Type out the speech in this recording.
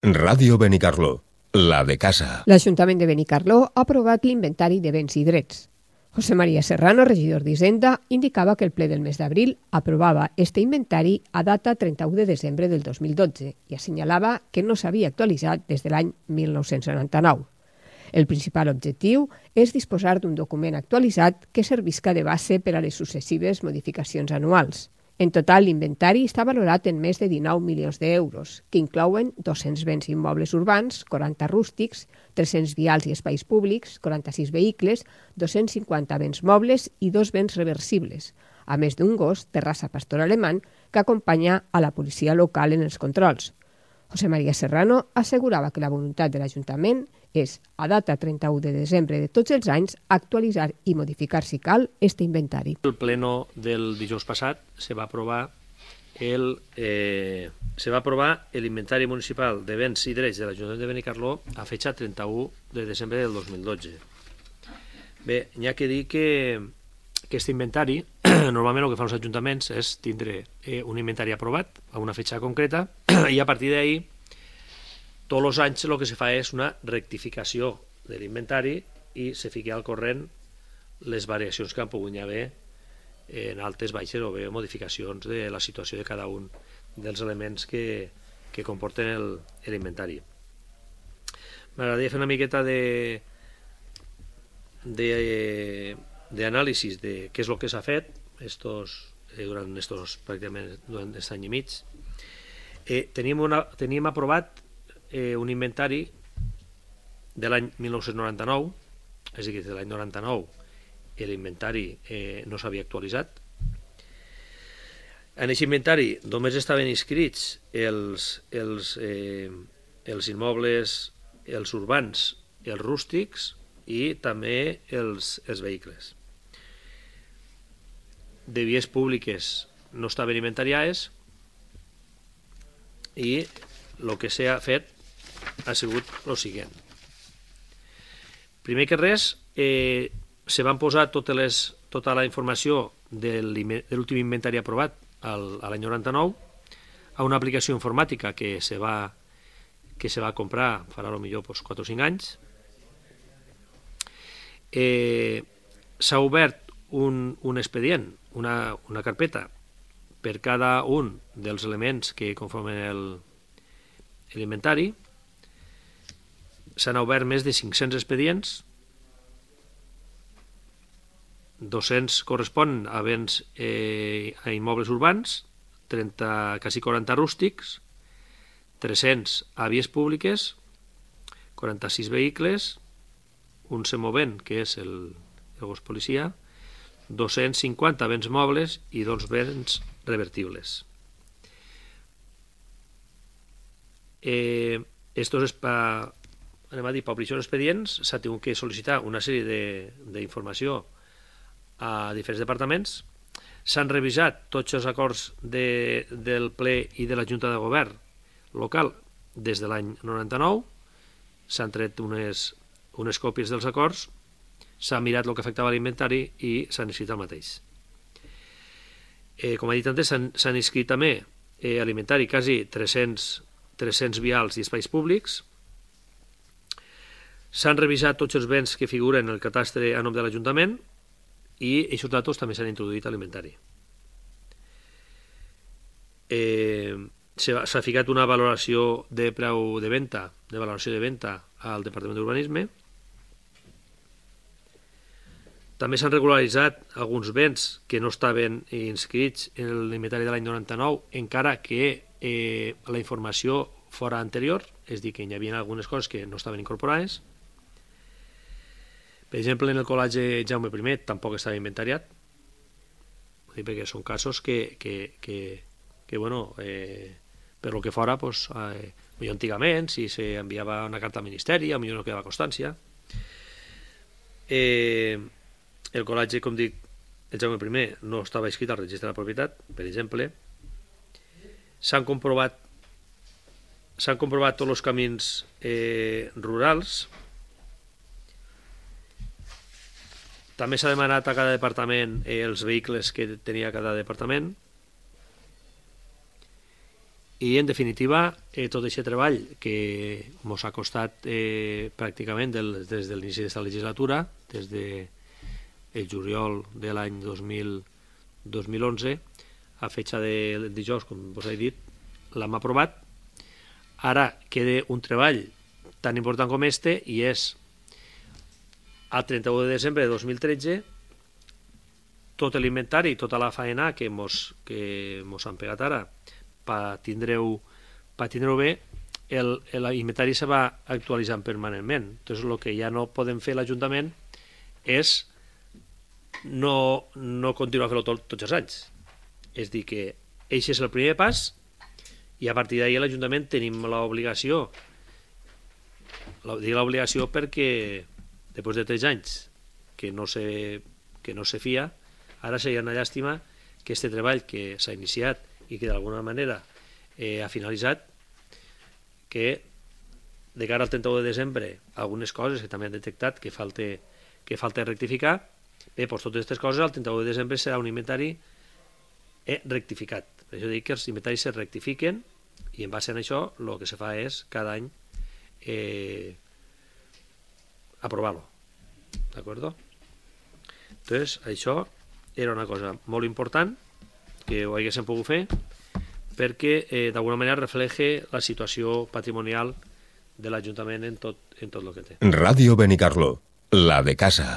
Ràdio Benicarló, la de casa. L'Ajuntament de Benicarló ha aprovat l'inventari de béns i drets. José María Serrano, regidor d'Hisenda, indicava que el ple del mes d'abril aprovava este inventari a data 31 de desembre del 2012 i assenyalava que no s'havia actualitzat des de l'any 1999. El principal objectiu és disposar d'un document actualitzat que servisca de base per a les successives modificacions anuals. En total, l'inventari està valorat en més de 19 milions d'euros, que inclouen 200 béns immobles urbans, 40 rústics, 300 vials i espais públics, 46 vehicles, 250 béns mobles i 2 béns reversibles, a més d'un gos de raça pastor alemany que acompanya a la policia local en els controls. José María Serrano assegurava que la voluntat de l'Ajuntament és, a data 31 de desembre de tots els anys, actualitzar i modificar, si cal, este inventari. El pleno del dijous passat se va aprovar l'inventari municipal de béns i drets de l'Ajuntament de Benicarló a fecha 31 de desembre del 2012. Bé, n'hi ha que dir que aquest inventari, normalment el que fan els ajuntaments és tindre un inventari aprovat a una fecha concreta i a partir d'ahí tots els anys el que se fa és una rectificació de l'inventari i se fica al corrent les variacions que han pogut haver en altes, baixes o bé modificacions de la situació de cada un dels elements que comporten l'inventari. M'agradaria fer una miqueta d'anàlisi de què és el que s'ha fet durant aquest any i mig. Teníem aprovat un inventari de l'any 1999, és a dir, de l'any 99 l'inventari no s'havia actualitzat. En aquest inventari només estaven inscrits els immobles, els urbans, els rústics i també els vehicles. De vies públiques no estaven inventariades i el que s'ha fet ha sigut el següent. Primer que res, se van posar tota la informació de l'últim inventari aprovat l'any 99 a una aplicació informàtica que se va comprar farà potser 4 o 5 anys. S'ha obert un expedient, una carpeta per cada un dels elements que conformen l'inventari. S'han obert més de 500 expedients, 200 corresponen a béns a immobles urbans, quasi 40 rústics, 300 a vies públiques, 46 vehicles, un semovent, que és el gos policia, 250 béns mobles i 2 béns revertibles. Per obrir els expedients s'ha tingut que sol·licitar una sèrie d'informació a diferents departaments. S'han revisat tots els acords del ple i de la Junta de Govern local des de l'any 99. S'han tret unes còpies dels acords, s'ha mirat el que afectava l'inventari i s'han inscrit el mateix. Com he dit antes, s'han inscrit també a l'inventari quasi 300 vials i espais públics. S'han revisat tots els béns que figuren en el catastre a nom de l'Ajuntament i aquests datos també s'han introduït a l'inventari. S'ha ficat una valoració de preu de venda, al Departament d'Urbanisme. També s'han regularitzat alguns béns que no estaven inscrits en l'inventari de l'any 99, encara que la informació fora anterior, és a dir, que hi havia algunes coses que no estaven incorporades. Per exemple, en el col·legi Jaume I tampoc estava inventariat, perquè són casos que per lo que fora, millor antigament, si s'enviava una carta al Ministeri, millor no quedava constància. El col·legi, com dic, el Jaume I no estava inscrit al registre de la propietat, per exemple. S'han comprovat tots els camins rurals. També s'ha demanat a cada departament els vehicles que tenia cada departament. I, en definitiva, tot aquest treball que ens ha costat pràcticament des de l'inici d'esta legislatura, des del juliol de l'any 2011, a fetge de dijous, com vos he dit, l'hem aprovat. Ara queda un treball tan important com este, i és al 31 de desembre de 2013 tot l'inventari, tota la faena que mos han pegat ara per tindre-ho bé, l'inventari se va actualitzant permanentment. Entonces, el que ja no podem fer l'Ajuntament és no continuar a fer-ho tots els anys. És dir, que aquest és el primer pas, i a partir d'ahir l'Ajuntament tenim l'obligació, dic l'obligació perquè després de 3 anys que no se fia, ara seria una llàstima que aquest treball que s'ha iniciat i que d'alguna manera ha finalitzat, que de cara al 31 de desembre algunes coses que també han detectat que falta rectificar, bé, doncs totes aquestes coses al 31 de desembre serà un inventari rectificat. Per això dic que els inventaris se rectifiquen, i en base a això el que se fa és cada any aprovar-lo. D'acord? Entonces, això era una cosa molt important que ho haguéssim pogut fer, perquè d'alguna manera refleje la situació patrimonial de l'Ajuntament en tot el que té. Ràdio Benicarló, la de casa.